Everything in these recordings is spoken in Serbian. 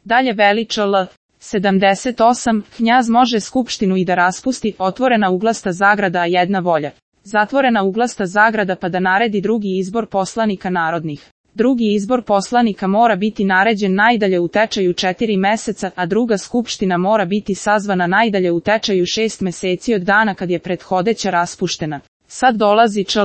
Dalje veli čl. 78, knjaz može skupštinu i da raspusti, otvorena uglasta zagrada a jedna volja. Zatvorena uglasta zagrada pa da naredi drugi izbor poslanika narodnih. Drugi izbor poslanika mora biti naređen najdalje u tečaju 4 meseca, a druga skupština mora biti sazvana najdalje u tečaju 6 meseci od dana kad je prethodeća raspuštena. Sad dolazi čl.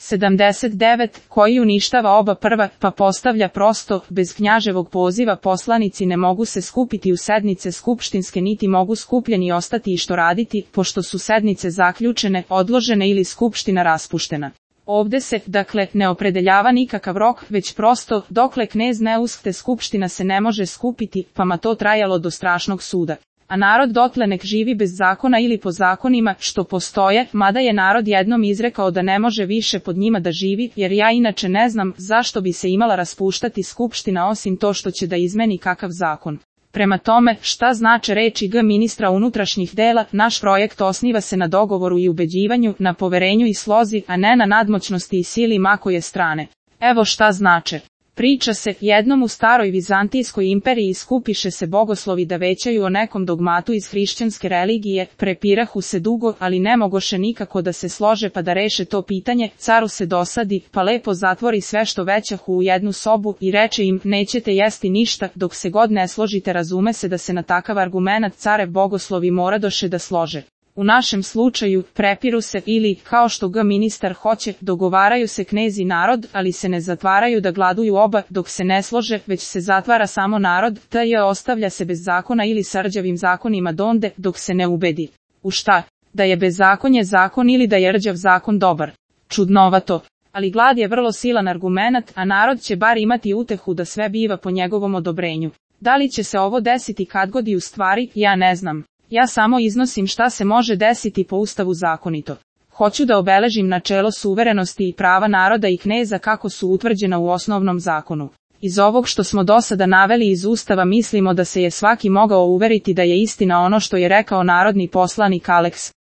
79, koji uništava oba prva, pa postavlja prosto, bez knjaževog poziva poslanici ne mogu se skupiti u sednice skupštinske niti mogu skupljeni ostati i što raditi, pošto su sednice zaključene, odložene ili skupština raspuštena. Ovde se, dakle, ne opredeljava nikakav rok, već prosto, dokle knez ne uskte skupština se ne može skupiti, pa ma to trajalo do strašnog suda. A narod dotle nek živi bez zakona ili po zakonima, što postoje, mada je narod jednom izrekao da ne može više pod njima da živi, jer ja inače ne znam zašto bi se imala raspuštati skupština osim to što će da izmeni kakav zakon. Prema tome, šta znače reči ministra unutrašnjih dela, naš projekt osniva se na dogovoru i ubeđivanju, na poverenju i slozi, a ne na nadmoćnosti i sili makoje strane. Evo šta znače. Priča se, jednom u staroj Vizantijskoj imperiji skupiše se bogoslovi da većaju o nekom dogmatu iz hrišćanske religije, prepirahu se dugo, ali ne mogoše nikako da se slože pa da reše to pitanje, caru se dosadi, pa lepo zatvori sve što većahu u jednu sobu i reče im, nećete jesti ništa, dok se god ne složite. Razume se da se na takav argumenat carev bogoslovi moradoše da slože. U našem slučaju, prepiru se ili, kao što ministar hoće, dogovaraju se knez i narod, ali se ne zatvaraju da gladuju oba, dok se ne slože, već se zatvara samo narod, ostavlja se bez zakona ili s rđavim zakonima donde, dok se ne ubedi. U šta? Da je bezakonje zakon ili da je rđav zakon dobar. Čudnovato. Ali glad je vrlo silan argumenat, a narod će bar imati utehu da sve biva po njegovom odobrenju. Da li će se ovo desiti kad god i u stvari, ja ne znam. Ja samo iznosim šta se može desiti po Ustavu zakonito. Hoću da obeležim načelo suverenosti i prava naroda i kneza kako su utvrđena u osnovnom zakonu. Iz ovog što smo do sada naveli iz Ustava mislimo da se je svaki mogao uveriti da je istina ono što je rekao narodni poslanik Aleks.